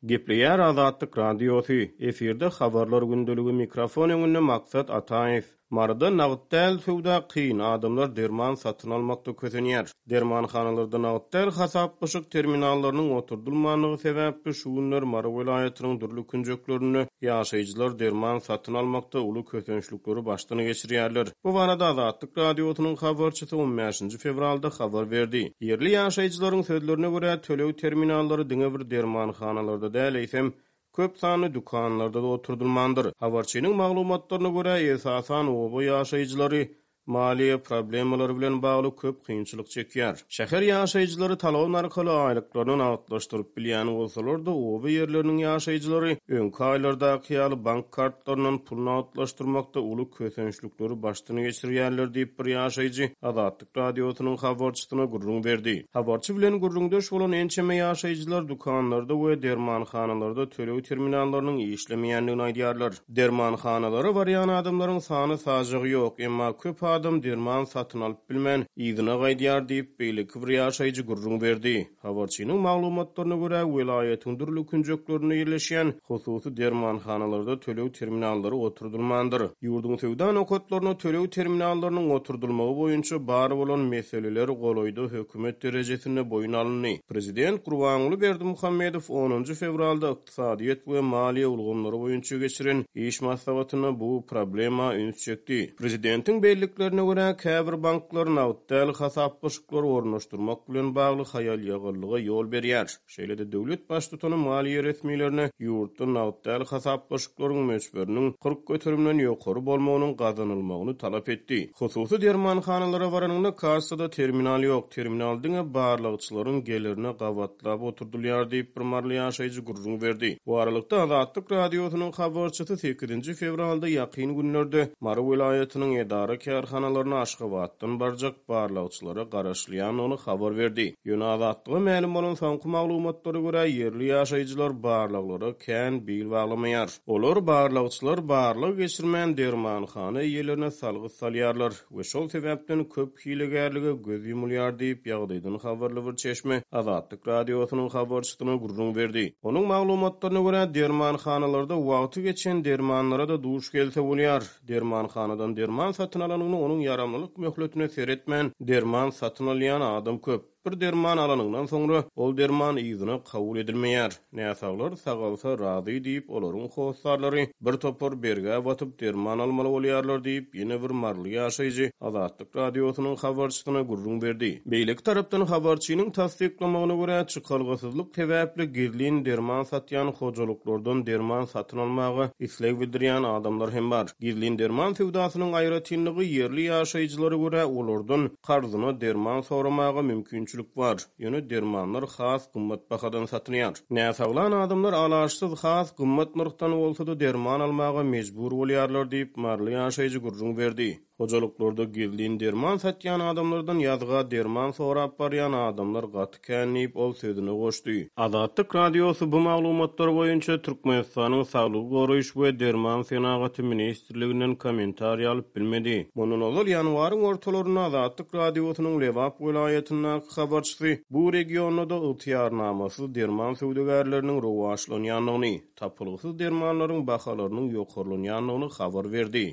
Gepleýär Azatlyk Radiosy, efirde Habarlar gündeligi, mikrofon öňünde Maksat Ataýew. Maryda nagt däl söwda kyn, adamlar derman satyn almakda kösenýär. Dermanhanalarda nagt däl hasaplaşyk terminallarynyň oturdylmandygy sebäpli şu günler Mary welaýatynyň dürli künjeklerinde ýaşaýjylar derman satyn almakda uly kösençlikleri başdan geçirýärler. Bu barada Azatlyk Radiosynyň habarçysy on bäşinji fewralda habar berdi. Ýerli ýaşaýjylaryň sözlerine görä, töleg terminallary diňe bir dermanhanalarda däl, eýsem, köp sanly dükanlarda-da oturdylmandyr. Habarçynyň maglumatlaryna görä, esasan, oba ýaşaýjylary maliýe problemalary bilen bagly köp kynçylyk çekýär. Şäher ýaşaýjylary talon arkaly aýlyklaryny nagtlaşdyryp bilýän bolsalar-da, oba ýerleriniň ýaşaýjylary öňki aýlardaky ýaly bank kartlaryndan pul nagtlaşdyrmakda uly kösençlikleri başdan geçirýärler diýip, bir ýaşaýjy Azatlyk Radiosynyň habarçysyna gürrüň berdi. Habarçy bilen gürrüňdeş bolan ençeme ýaşaýjylar dükanlarda we dermanhanalarda töleg terminallarynyň işlemeýändigini aýdýarlar. Dermanhanalara barýan adamlaryň sany-sajagy ýok, emma köp adam derman satyn alyp bilmän, yzyna gaýdýar diýip, beýleki bir ýaşaýjy gürrüň berdi. Habarçynyň maglumatlaryna görä, welaýatyň dürli künjeklerinde ýerleşýän hususy dermanhanalarda töleg terminallary oturdylmandyr. Ýurduň söwda nokatlarynda töleg terminallarynyň oturdylmagy boýunça bar bolan meseleler golaýda hökümet derejesinde boýun alyndy. Prezident Gurbanguly Berdimuhamedow onunjy fewralda ykdysadyýet we maliýe ulgamlary boýunça geçiren iş maslahatynda bu problema üns çekdi. Prezidentiň belliklerine görä, käbir banklar nagt däl hasaplaşyklary ornaşdyrmak bilen bagly haýal-ýagallyga ýol berýär. Şeýle-de döwlet baştutany maliýe resmilerine ýurtda nagt däl hasaplaşyklaryň möçberiniň 40 göterimden ýokary bolmagynyň gazanylmagyny talap etdi. Hususy dermanhanalara baranyňda kassada terminal ýok, terminal diňe barlagçylaryň gelerine gabatlap oturdylýar diýip, bir maryly ýaşaýjy gürrüň berdi. Bu aralykda, Azatlyk Radiosynyň habarçysy sekizinji fewralda ýakyn günlerde Mary welaýatynyň edara-kärhanalaryna Aşgabatdan barjak barlagçylara garaşylýandygyny habar berdi. Ýöne Azatlyga mälim bolan soňky maglumatlara görä, ýerli ýaşaýjylar barlaglara kän bil baglamaýar. Olar barlagçylar barlag geçirmän dermanhana eýelerine salgyt salýarlar we şol sebäpden köp hilegärlige göz ýumulýar diýip, ýagdaýdan habarly bir çeşme Azatlyk Radiosynyň habarçysyna gürrüň berdi. Onuň maglumatlaryna görä, dermanhanalarda wagty geçen dermanlara-da duş gelse bolýar. Dermanhanadan derman satyn alanyňda onuň ýaramlylyk möhletine seretmän derman satyn alýan adam köp. Bir derman alanyňdan soňra, ol derman yzyna kabul edilmeýär. Näsaglar sagalsa razy diýip, olaryň hossarlary bir topar bergä batyp derman almaly bolýarlar diýip, ýene bir maryly ýaşaýjy Azatlyk Radiosynyň habarçysyna gürrüň berdi. Beýleki tarapdan, habarçynyň tassyklamagyna görä, çykalgasyzlyk sebäpli gizlin derman satýan hojalyklardan derman satyn almaga isleg bildirýän adamlar hem bar. Gizlin derman söwdasynyň aýratynlygy ýerli ýaşaýjylara görä, olardan Karzyna derman soramaga mümkinçilik bar, ýöne dermanlar has gymmat bahadan satylýar. Näsaglan adamlar alaçsyz has gymmat nyrhdan bolsa-da derman almaga mejbur bolýarlar diýip, maryly ýaşaýjy gürrüň berdi. Hojalyklarda gizlin derman satýan adamlardan ýazga derman sorap barýan adamlar gaty kän diýip, ol sözüne goşdy. Azatlyk Radiosy bu maglumatlar boýunça Türkmenistanyň Saglygy goraýyş we derman senagaty ministrliginden kommentariý alyp bilmedi. Mundan ozal, ýanwaryň ortalarynda Azatlyk Radiosynyň Lebap welaýatyndaky habarçysy bu regionda-da ygtyýarnamasyz derman söwdagärleriniň rowaçlanýandygyny, tapylgysyz dermanlaryň bahalarynyň ýokarlanýandygyny habar berdi.